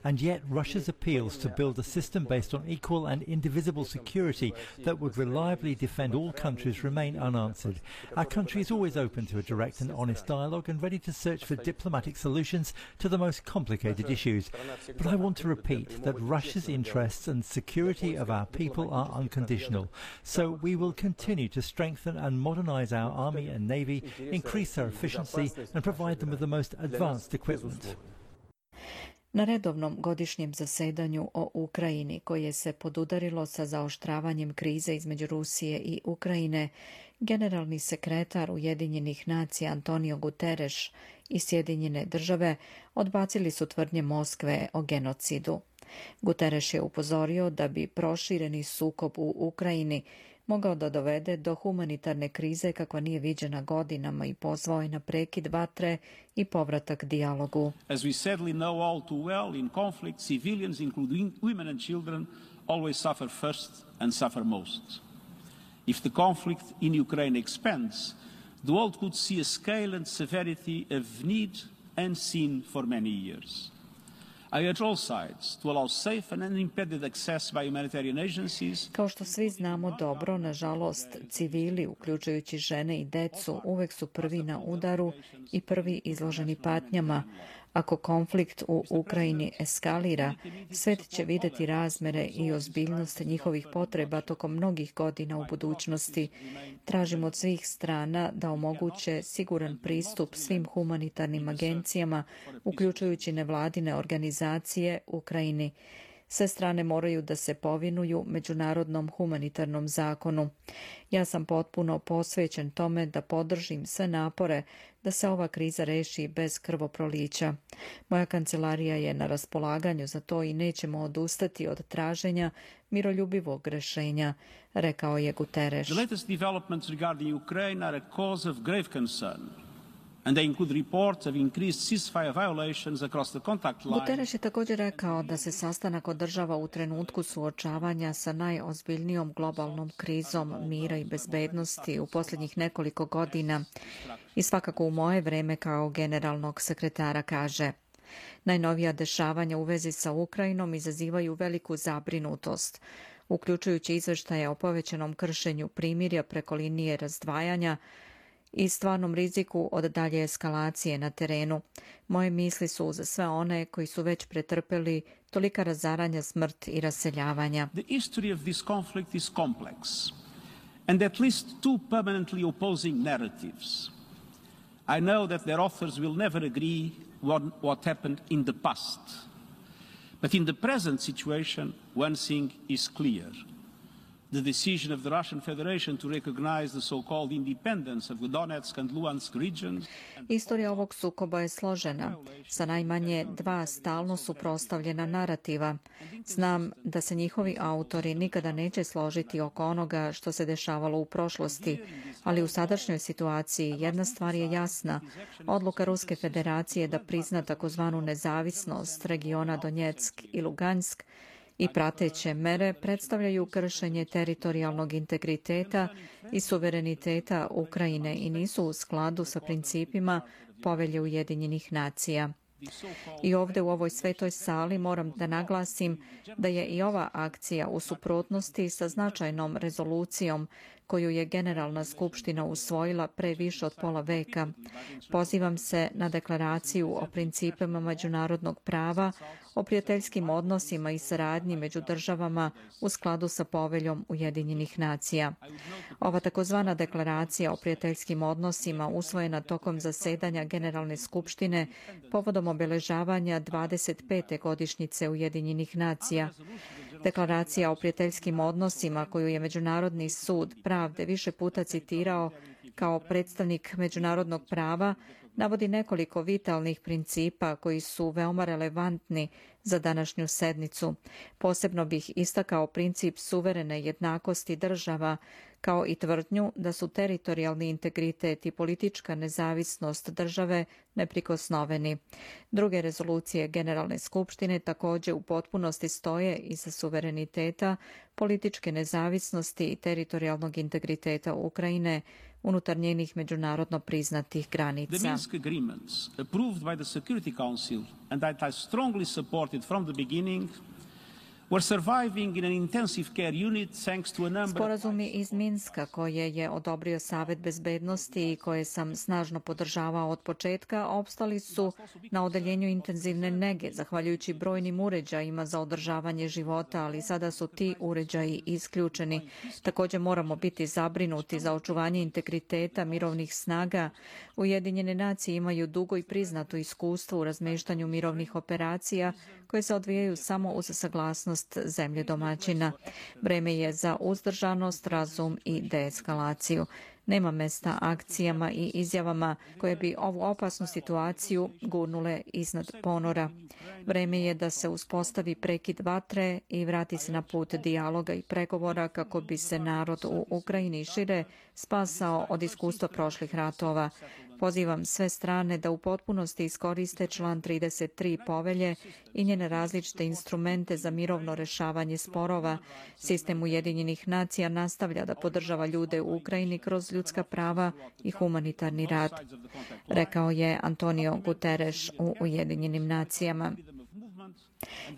And yet Russia's appeals to build a system based on equal and indivisible security that would reliably defend all countries remain unanswered. Our country is always open to a direct and honest dialogue and ready to search for diplomatic solutions to the most complicated issues. But I want to repeat that Russia's interests and security of our people are unconditional. So we will continue to strengthen and modernize our army and navy, increase their efficiency and provide them with the most advanced equipment. Na redovnom godišnjem zasedanju o Ukrajini, koje se podudarilo sa zaoštravanjem krize između Rusije i Ukrajine, generalni sekretar Ujedinjenih nacija Antonio Guterres i Sjedinjene države odbacili su tvrdnje Moskve o genocidu. Guterres je upozorio da bi prošireni sukob u Ukrajini mogao da dovede do humanitarne krize kakva nije viđena godinama i pozvao je na prekid vatre i povratak dijalogu. As we sadly know all too well, in conflict, civilians, including women and children, always suffer first and suffer most. If the conflict in Ukraine expands, the world could see a scale and severity of need unseen for many years. I urge all sides to allow safe and unimpeded access by humanitarian agencies. Kao što svi znamo dobro, nažalost, civili, uključujući žene i decu, uvek su prvi na udaru i prvi izloženi patnjama. Ako konflikt u Ukrajini eskalira, svet će videti razmere i ozbiljnost njihovih potreba tokom mnogih godina u budućnosti. Tražimo od svih strana da omoguće siguran pristup svim humanitarnim agencijama, uključujući nevladine organizacije Ukrajini. Sve strane moraju da se povinuju međunarodnom humanitarnom zakonu. Ja sam potpuno posvećen tome da podržim sve napore da se ova kriza reši bez krvoprolića. Moja kancelarija je na raspolaganju za to i nećemo odustati od traženja miroljubivog rešenja, rekao je Guterres. The latest developments regarding Ukraine are a cause of grave concern. And they include reports of increased ceasefire violations across the contact line. Guterres je također rekao da se sastanak održava u trenutku suočavanja sa najozbiljnijom globalnom krizom mira i bezbednosti u posljednjih nekoliko godina i svakako u moje vreme kao generalnog sekretara, kaže. Najnovija dešavanja u vezi sa Ukrajinom izazivaju veliku zabrinutost, uključujući izveštaje o povećanom kršenju primirja preko linije razdvajanja i stvarnom riziku od dalje eskalacije na terenu. Moje misli su za sve one koji su već pretrpeli tolika razaranja, smrt i raseljavanja. The history of this conflict is complex, and at least two permanently opposing narratives. I know that their authors will never agree what happened in the past. But in the present situation, one thing is clear. The decision of the Russian Federation to recognize the so-called independence of the Donetsk and Luhansk regions. Istorija ovog sukoba je složena, sa najmanje dva stalno suprotstavljena narativa. Znam da se njihovi autori nikada neće složiti oko onoga što se dešavalo u prošlosti, ali u sadašnjoj situaciji jedna stvar je jasna. Odluka Ruske federacije da prizna takozvanu nezavisnost regiona Donetsk i Lugansk i prateće mere predstavljaju kršenje teritorijalnog integriteta i suvereniteta Ukrajine i nisu u skladu sa principima Povelje Ujedinjenih nacija. I ovdje u ovoj svetoj sali moram da naglasim da je i ova akcija u suprotnosti sa značajnom rezolucijom koju je Generalna skupština usvojila pre više od pola veka. Pozivam se na deklaraciju o principima međunarodnog prava, o prijateljskim odnosima i saradnji među državama u skladu sa Poveljom Ujedinjenih nacija. Ova takozvana deklaracija o prijateljskim odnosima usvojena tokom zasedanja Generalne skupštine povodom obeležavanja 25. godišnjice Ujedinjenih nacija. Deklaracija o prijateljskim odnosima koju je Međunarodni sud pravde više puta citirao kao predstavnik međunarodnog prava navodi nekoliko vitalnih principa koji su veoma relevantni za današnju sednicu. Posebno bih istakao princip suverene jednakosti država, kao i tvrdnju da su teritorijalni integritet i politička nezavisnost države neprikosnoveni. Druge rezolucije Generalne skupštine također u potpunosti stoje iza suvereniteta, političke nezavisnosti i teritorijalnog integriteta Ukrajine unutar njenih međunarodno priznatih granica. The Minsk agreements approved by the Security Council and that I strongly supported from the beginning were surviving in an intensive care unit thanks to a number Sporazumi iz Minska koje je odobrio Savet bezbednosti i koje sam snažno podržavao od početka opstali su na odeljenju intenzivne nege zahvaljujući brojnim uređajima za održavanje života, ali sada su ti uređaji isključeni. Također moramo biti zabrinuti za očuvanje integriteta mirovnih snaga. Ujedinjene nacije imaju dugo i priznato iskustvo u razmeštanju mirovnih operacija koje se odvijaju samo uz saglasnost zemlje domaćina. Vreme je za uzdržanost, razum i deeskalaciju. Nema mesta akcijama i izjavama koje bi ovu opasnu situaciju gurnule iznad ponora. Vreme je da se uspostavi prekid vatre i vrati se na put dijaloga i pregovora kako bi se narod u Ukrajini šire spasao od iskustva prošlih ratova. Pozivam sve strane da u potpunosti iskoriste član 33 povelje i njene različite instrumente za mirovno rešavanje sporova. Sistem Ujedinjenih nacija nastavlja da podržava ljude u Ukrajini kroz ljudska prava i humanitarni rad, rekao je Antonio Guterres u Ujedinjenim nacijama.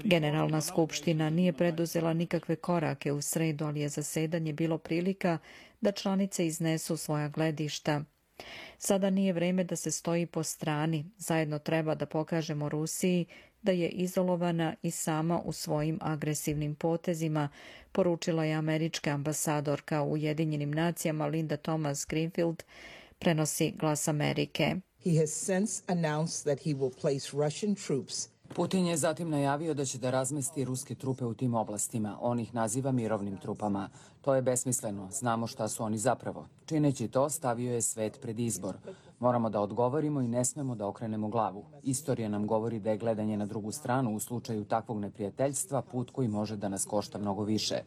Generalna skupština nije preduzela nikakve korake u sredu, ali je zasedanje bilo prilika da članice iznesu svoja gledišta. Sada nije vreme da se stoji po strani. Zajedno treba da pokažemo Rusiji da je izolovana i sama u svojim agresivnim potezima, poručila je američka ambasadorka u Ujedinjenim nacijama Linda Thomas Greenfield, prenosi Glas Amerike. He has since announced that he will place Russian troops Putin je zatim najavio da će da razmesti ruske trupe u tim oblastima. On ih naziva mirovnim trupama. To je besmisleno. Znamo šta su oni zapravo. Čineći to, stavio je svet pred izbor. Moramo da odgovorimo i ne smemo da okrenemo glavu. Istorija nam govori da je gledanje na drugu stranu u slučaju takvog neprijateljstva put koji može da nas košta mnogo više.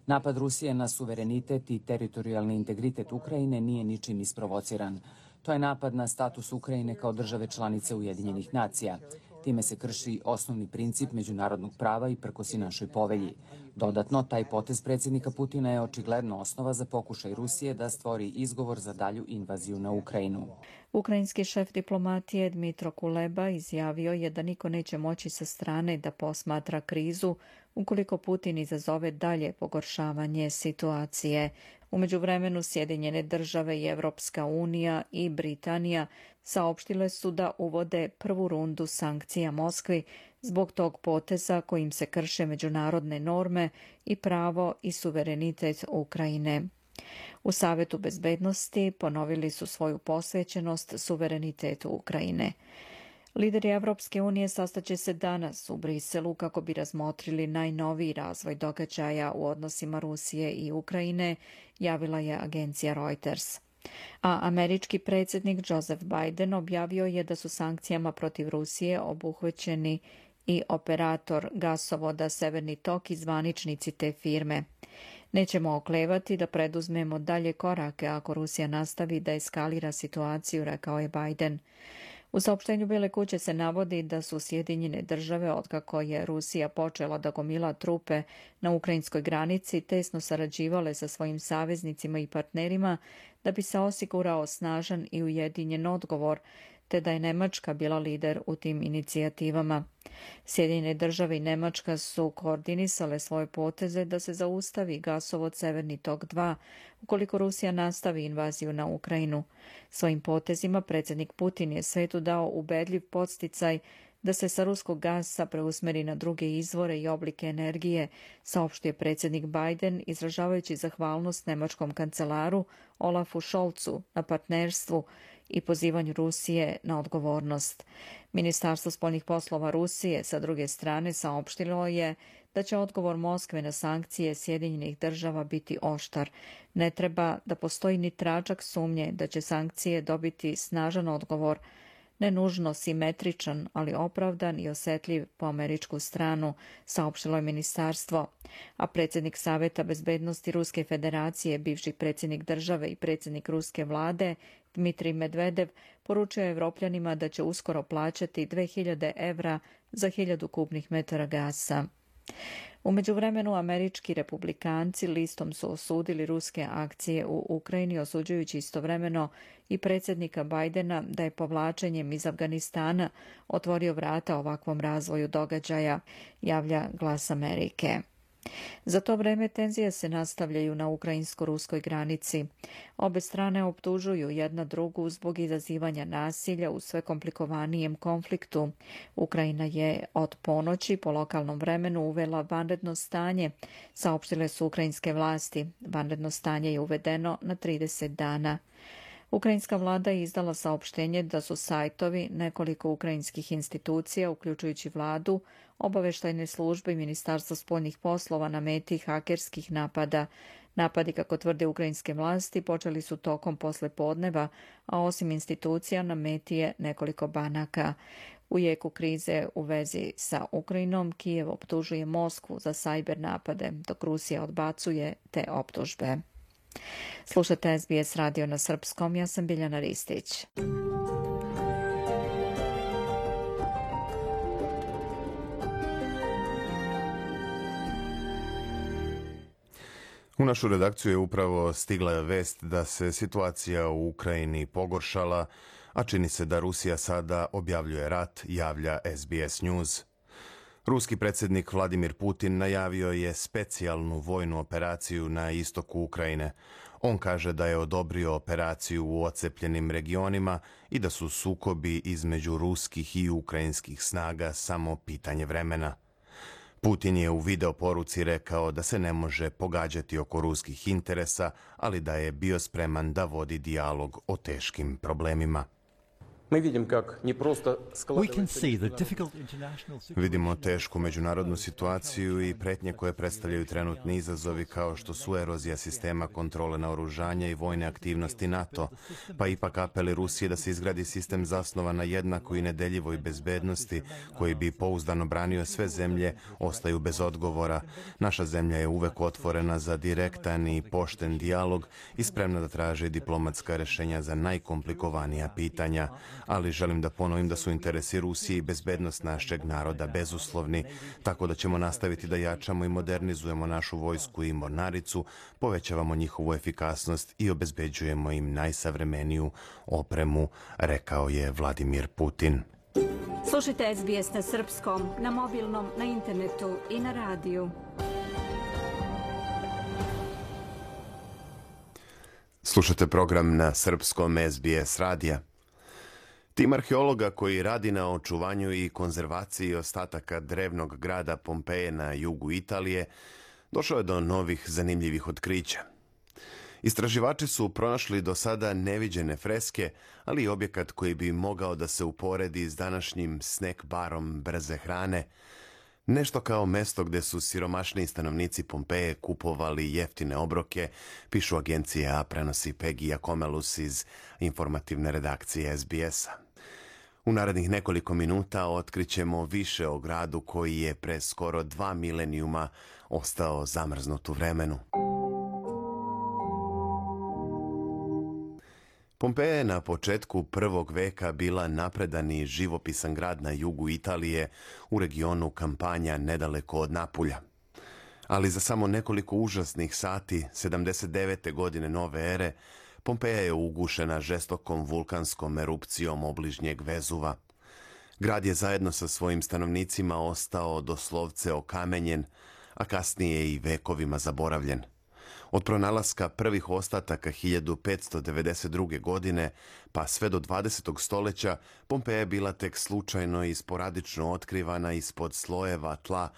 Napad Rusije na suverenitet i teritorijalni integritet Ukrajine nije ničim isprovociran. To je napad na status Ukrajine kao države članice Ujedinjenih nacija. Time se krši osnovni princip međunarodnog prava i prkosi našoj povelji. Dodatno, taj potez predsjednika Putina je očigledno osnova za pokušaj Rusije da stvori izgovor za dalju invaziju na Ukrajinu. Ukrajinski šef diplomatije Dmitro Kuleba izjavio je da niko neće moći sa strane da posmatra krizu ukoliko Putin izazove dalje pogoršavanje situacije. U međuvremenu Sjedinjene države i Evropska unija i Britanija saopštile su da uvode prvu rundu sankcija Moskvi zbog tog poteza kojim se krše međunarodne norme i pravo i suverenitet Ukrajine. U Savetu bezbednosti ponovili su svoju posvećenost suverenitetu Ukrajine. Lideri Evropske unije sastaće se danas u Briselu kako bi razmotrili najnoviji razvoj događaja u odnosima Rusije i Ukrajine, javila je agencija Reuters. A američki predsjednik Joseph Biden objavio je da su sankcijama protiv Rusije obuhvaćeni i operator gasovoda Severni tok i zvaničnici te firme. Nećemo oklevati da preduzmemo dalje korake ako Rusija nastavi da eskalira situaciju, rekao je Biden. U saopštenju Bele kuće se navodi da su Sjedinjene države, otkako je Rusija počela da gomila trupe na ukrajinskoj granici, tesno sarađivale sa svojim saveznicima i partnerima da bi se osigurao snažan i ujedinjen odgovor, te da je Nemačka bila lider u tim inicijativama. Sjedinjene države i Nemačka su koordinisale svoje poteze da se zaustavi gasovod Severni tok 2 ukoliko Rusija nastavi invaziju na Ukrajinu. Svojim potezima predsjednik Putin je svetu dao ubedljiv podsticaj da se sa ruskog gasa preusmeri na druge izvore i oblike energije, saopštio predsjednik Biden izražavajući zahvalnost nemačkom kancelaru Olafu Scholzu na partnerstvu i pozivanju Rusije na odgovornost. Ministarstvo spoljnih poslova Rusije sa druge strane saopštilo je da će odgovor Moskve na sankcije Sjedinjenih država biti oštar. Ne treba da postoji ni tračak sumnje da će sankcije dobiti snažan odgovor, ne nužno simetričan, ali opravdan i osjetljiv po američku stranu, saopštilo je ministarstvo. A predsjednik Saveta bezbednosti Ruske federacije, bivši predsjednik države i predsjednik ruske vlade, Dmitrij Medvedev, poručio je Evropljanima da će uskoro plaćati 2000 evra za 1000 kubnih metara gasa. U međuvremenu američki republikanci listom su osudili ruske akcije u Ukrajini, osuđujući istovremeno i predsjednika Bidena da je povlačenjem iz Afganistana otvorio vrata ovakvom razvoju događaja, javlja Glas Amerike. Za to vreme tenzije se nastavljaju na ukrajinsko-ruskoj granici. Obe strane optužuju jedna drugu zbog izazivanja nasilja u sve komplikovanijem konfliktu. Ukrajina je od ponoći po lokalnom vremenu uvela vanredno stanje, saopštile su ukrajinske vlasti. Vanredno stanje je uvedeno na 30 dana. Ukrajinska vlada je izdala saopštenje da su sajtovi nekoliko ukrajinskih institucija, uključujući vladu, obaveštajne službe i Ministarstvo spoljnih poslova na meti hakerskih napada. Napadi, kako tvrde ukrajinske vlasti, počeli su tokom poslepodneva, a osim institucija na meti je nekoliko banaka. U jeku krize u vezi sa Ukrajinom, Kijev optužuje Moskvu za sajber napade, dok Rusija odbacuje te optužbe. Slušate SBS radio na srpskom, ja sam Biljana Ristić. U našu redakciju je upravo stigla vest da se situacija u Ukrajini pogoršala, a čini se da Rusija sada objavljuje rat, javlja SBS News. Ruski predsjednik Vladimir Putin najavio je specijalnu vojnu operaciju na istoku Ukrajine. On kaže da je odobrio operaciju u ocepljenim regionima i da su sukobi između ruskih i ukrajinskih snaga samo pitanje vremena. Putin je u video poruci rekao da se ne može pogađati oko ruskih interesa, ali da je bio spreman da vodi dijalog o teškim problemima. Vidimo tešku međunarodnu situaciju i pretnje koje predstavljaju trenutni izazovi kao što su erozija sistema kontrole naoružanja i vojne aktivnosti NATO, pa ipak apeli Rusije da se izgradi sistem zasnovan na jednakoj i nedeljivoj bezbednosti koji bi pouzdano branio sve zemlje ostaju bez odgovora. Naša zemlja je uvek otvorena za direktan i pošten dijalog i spremna da traži diplomatska rešenja za najkomplikovanija pitanja, ali želim da ponovim da su interesi Rusije i bezbednost našeg naroda bezuslovni, tako da ćemo nastaviti da jačamo i modernizujemo našu vojsku i mornaricu, povećavamo njihovu efikasnost i obezbeđujemo im najsavremeniju opremu, rekao je Vladimir Putin. Slušajte SBS na srpskom, na mobilnom, na internetu i na radiju. Slušate program na srpskom SBS radija. Tim arheologa koji radi na očuvanju i konzervaciji ostataka drevnog grada Pompeje na jugu Italije došao je do novih zanimljivih otkrića. Istraživači su pronašli do sada neviđene freske, ali i objekat koji bi mogao da se uporedi s današnjim snack barom brze hrane, nešto kao mesto gde su siromašniji stanovnici Pompeje kupovali jeftine obroke, pišu agencije, a prenosi Peggy Akomelus iz informativne redakcije SBS-a. U narednih nekoliko minuta otkrićemo više o gradu koji je pre skoro 2 milenijuma ostao zamrznut u vremenu. Pompeja je na početku 1. veka bila napredan i živopisan grad na jugu Italije u regionu Kampanja nedaleko od Napulja. Ali za samo nekoliko užasnih sati, 79. godine nove ere, Pompeja je ugušena žestokom vulkanskom erupcijom obližnjeg Vezuva. Grad je zajedno sa svojim stanovnicima ostao doslovce okamenjen, a kasnije i vekovima zaboravljen. Od pronalaska prvih ostataka 1592. godine pa sve do 20. stoljeća Pompeja je bila tek slučajno i sporadično otkrivana ispod slojeva tla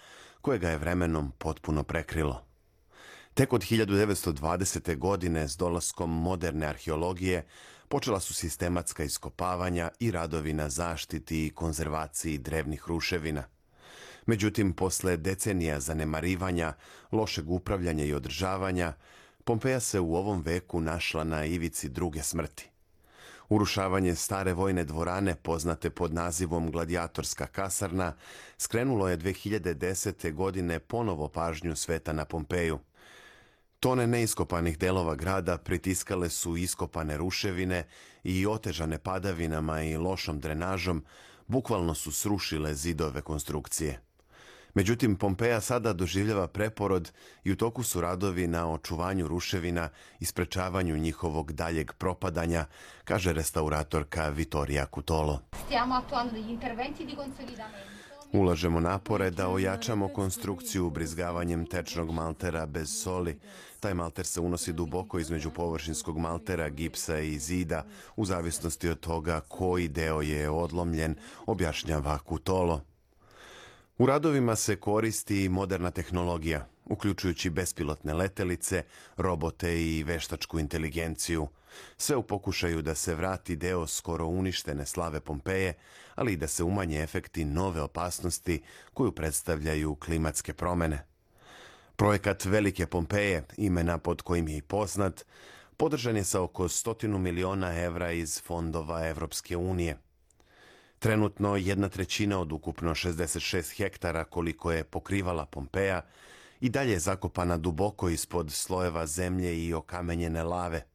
kojega je vremenom potpuno prekrilo. Tek od 1920. godine s dolaskom moderne arheologije počela su sistematska iskopavanja i radovi na zaštiti i konzervaciji drevnih ruševina. Međutim, posle decenija zanemarivanja, lošeg upravljanja i održavanja, Pompeja se u ovom veku našla na ivici druge smrti. Urušavanje stare vojne dvorane, poznate pod nazivom Gladijatorska kasarna, skrenulo je 2010. godine ponovo pažnju sveta na Pompeju. Tone neiskopanih delova grada pritiskale su iskopane ruševine i otežane padavinama i lošom drenažom, bukvalno su srušile zidove konstrukcije. Međutim, Pompeja sada doživljava preporod i u toku su radovi na očuvanju ruševina i sprečavanju njihovog daljeg propadanja, kaže restauratorka Vittoria Cutolo. Ulažemo napore da ojačamo konstrukciju ubrizgavanjem tečnog maltera bez soli. Taj malter se unosi duboko između površinskog maltera, gipsa i zida, u zavisnosti od toga koji deo je odlomljen, objašnjava Cutolo. U radovima se koristi i moderna tehnologija, uključujući bespilotne letelice, robote i veštačku inteligenciju. Sve u pokušaju da se vrati deo skoro uništene slave Pompeje, ali i da se umanje efekti nove opasnosti koju predstavljaju klimatske promene. Projekat Velike Pompeje, imena pod kojim je i poznat, podržan je sa oko 100 miliona evra iz fondova Evropske unije. Trenutno 1/3 od ukupno 66 hektara koliko je pokrivala Pompeja i dalje je zakopana duboko ispod slojeva zemlje i okamenjene lave.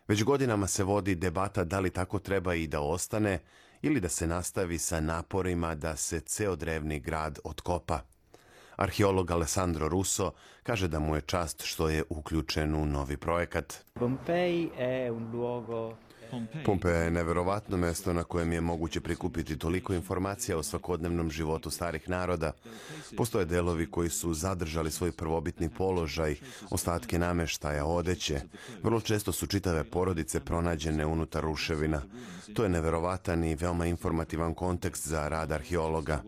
Već godinama se vodi debata da li tako treba i da ostane ili da se nastavi sa naporima da se ceo drevni grad otkopa. Arheolog Alessandro Russo kaže da mu je čast što je uključen u novi projekat. Pompeja je neverovatno mesto na kojem je moguće prikupiti toliko informacija o svakodnevnom životu starih naroda. Postoje delovi koji su zadržali svoj prvobitni položaj, ostatke nameštaja, odeće. Vrlo često su čitave porodice pronađene unutar ruševina. To je neverovatan i veoma informativan kontekst za rad arheologa.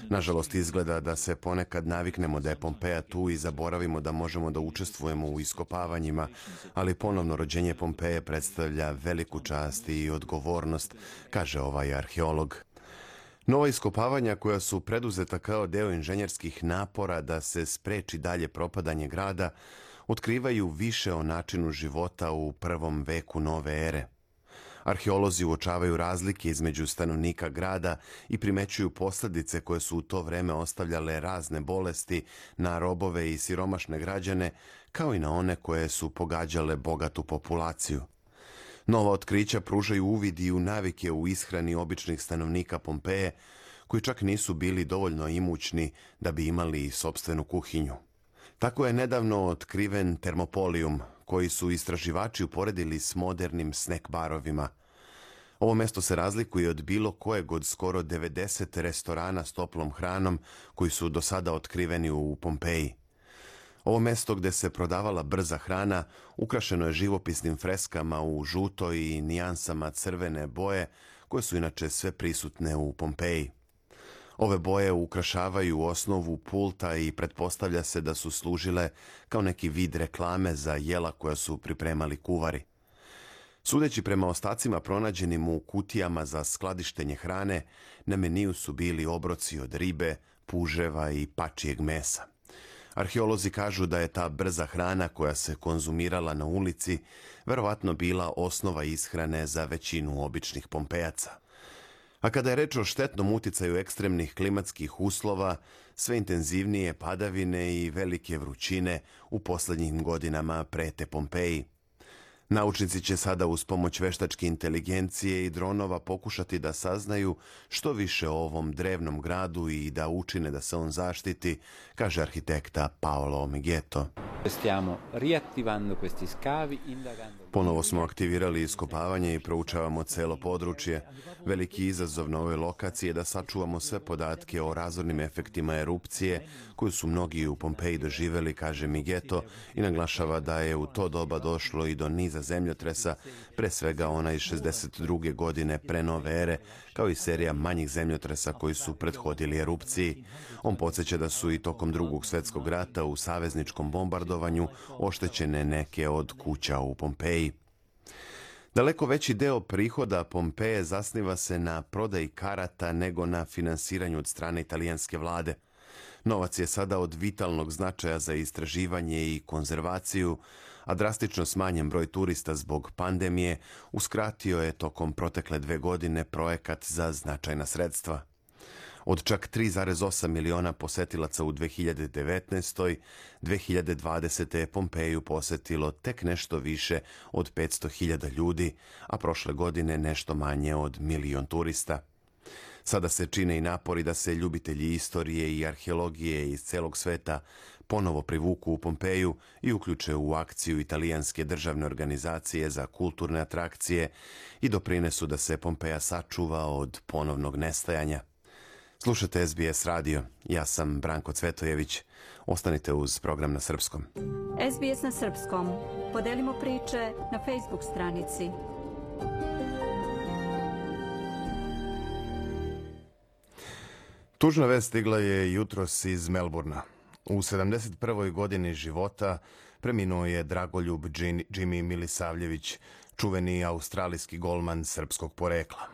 Nažalost, izgleda da se ponekad naviknemo da je Pompeja tu i zaboravimo da možemo da učestvujemo u iskopavanjima, ali ponovno rođenje Pompeje predstavlja veliku čast i odgovornost, kaže ovaj arheolog. Nova iskopavanja koja su preduzeta kao deo inženjerskih napora da se spreči dalje propadanje grada, otkrivaju više o načinu života u prvom veku nove ere. Arheolozi uočavaju razlike između stanovnika grada i primećuju posljedice koje su u to vreme ostavljale razne bolesti na robove i siromašne građane, kao i na one koje su pogađale bogatu populaciju. Nova otkrića pružaju uvid i u navike u ishrani običnih stanovnika Pompeje, koji čak nisu bili dovoljno imućni da bi imali sopstvenu kuhinju. Tako je nedavno otkriven termopolijum, koji su istraživači uporedili s modernim snack barovima. Ovo mesto se razlikuje od bilo kojeg od skoro 90 restorana s toplom hranom koji su do sada otkriveni u Pompeji. Ovo mesto gde se prodavala brza hrana ukrašeno je živopisnim freskama u žutoj i nijansama crvene boje, koje su inače sve prisutne u Pompeji. Ove boje ukrašavaju osnovu pulta i pretpostavlja se da su služile kao neki vid reklame za jela koja su pripremali kuvari. Sudeći prema ostacima pronađenim u kutijama za skladištenje hrane, na meniju su bili obroci od ribe, puževa i pačijeg mesa. Arheolozi kažu da je ta brza hrana koja se konzumirala na ulici verovatno bila osnova ishrane za većinu običnih Pompejaca. A kada je reč o štetnom uticaju ekstremnih klimatskih uslova, sve intenzivnije padavine i velike vrućine u poslednjim godinama prete Pompeji. Naučnici će sada uz pomoć veštačke inteligencije i dronova pokušati da saznaju što više o ovom drevnom gradu i da učine da se on zaštiti, kaže arhitekta Paolo Migeto. Ponovo smo aktivirali iskopavanje i proučavamo celo područje. Veliki izazov na ovoj lokaciji je da sačuvamo sve podatke o razornim efektima erupcije koju su mnogi u Pompeji doživeli, kaže Migeto, i naglašava da je u to doba došlo i do niza zemljotresa, pre svega ona iz 62. godine pre nove ere, kao i serija manjih zemljotresa koji su prethodili erupciji. On podsjeća da su i tokom Drugog svjetskog rata u savezničkom bombardovanju oštećene neke od kuća u Pompeji. Daleko veći deo prihoda Pompeje zasniva se na prodaji karata nego na finansiranju od strane italijanske vlade. Novac je sada od vitalnog značaja za istraživanje i konzervaciju, a drastično smanjen broj turista zbog pandemije uskratio je tokom protekle 2 godine projekat za značajna sredstva. Od čak 3,8 miliona posetilaca u 2019. 2020. je Pompeju posetilo tek nešto više od 500.000 ljudi, a prošle godine nešto manje od 1 milion turista. Sada se čine i napori da se ljubitelji istorije i arheologije iz celog sveta ponovo privuku u Pompeju i uključe u akciju italijanske državne organizacije za kulturne atrakcije i doprinesu da se Pompeja sačuva od ponovnog nestajanja. Slušate SBS radio. Ja sam Branko Cvetojević. Ostanite uz program na srpskom. SBS na srpskom. Podelimo priče na Facebook stranici. Tužna vest stigla je jutros iz Melburna. U 71. godini života preminuo je Dragoljub Jimmy Milisavljević, čuveni australijski golman srpskog porekla.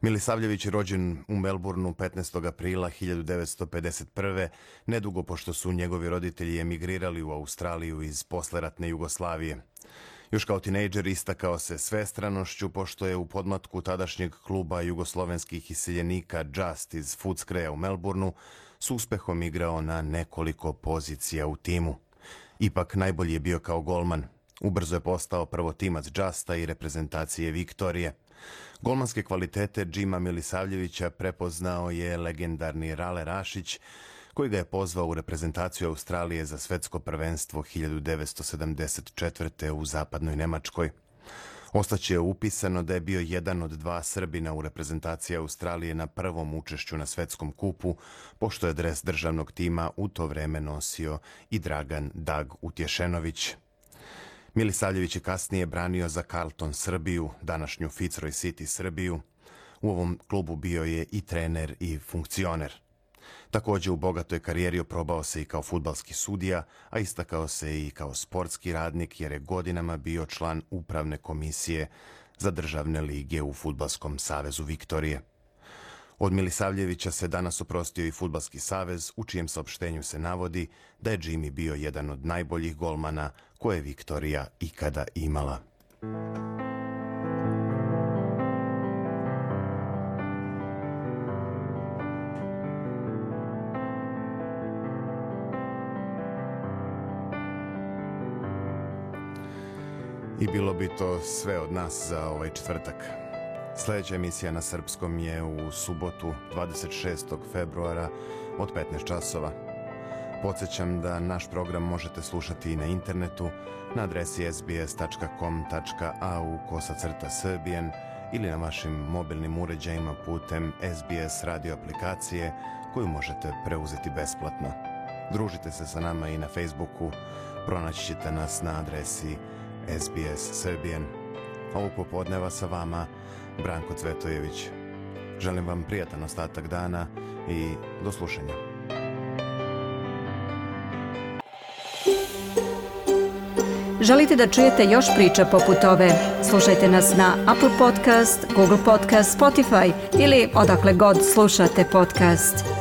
Milisavljević je rođen u Melbourneu 15. aprila 1951. nedugo pošto su njegovi roditelji emigrirali u Australiju iz posleratne Jugoslavije. Još kao tinejdžer istakao se svestranošću pošto je u podmlatku tadašnjeg kluba jugoslovenskih iseljenika Just iz Footscraya u Melbourneu s uspehom igrao na nekoliko pozicija u timu. Ipak najbolji je bio kao golman. Ubrzo je postao prvotimac Justa i reprezentacije Viktorije. Golmanske kvalitete Džima Milisavljevića prepoznao je legendarni Rale Rašić, koji ga je pozvao u reprezentaciju Australije za svetsko prvenstvo 1974. u zapadnoj Nemačkoj. Ostaće upisano da je bio jedan od 2 Srbina u reprezentaciji Australije na prvom učešću na svetskom kupu, pošto je dres državnog tima u to vreme nosio i Dragan Dag Utješenović. Milisavljević je kasnije branio za Carlton Srbiju, današnju Fitzroy City Srbiju. U ovom klubu bio je i trener i funkcioner. Također u bogatoj karijeri oprobao se i kao fudbalski sudija, a istakao se i kao sportski radnik jer je godinama bio član upravne komisije za državne lige u Fudbalskom savezu Viktorije. Od Milisavljevića se danas oprostio i Fudbalski savez, u čijem saopštenju se navodi da je Jimmy bio jedan od najboljih golmana koje je Viktorija ikada imala. I bilo bi to sve od nas za ovaj četvrtak. Sljedeća emisija na srpskom je u subotu 26. februara od 15 časova. Podsjećam da naš program možete slušati i na internetu na adresi sbs.com.au/Serbian ili na vašim mobilnim uređajima putem SBS radio aplikacije koju možete preuzeti besplatno. Družite se sa nama i na Facebooku, pronaći ćete nas na adresi SBS Serbian. Ovog popodneva sa vama Branko Cvetojević. Želim vam prijatan ostatak dana i do slušanja. Želite da čujete još priča poput ove? Slušajte nas na Apple Podcast, Google Podcast, Spotify ili odakle god slušate podcast.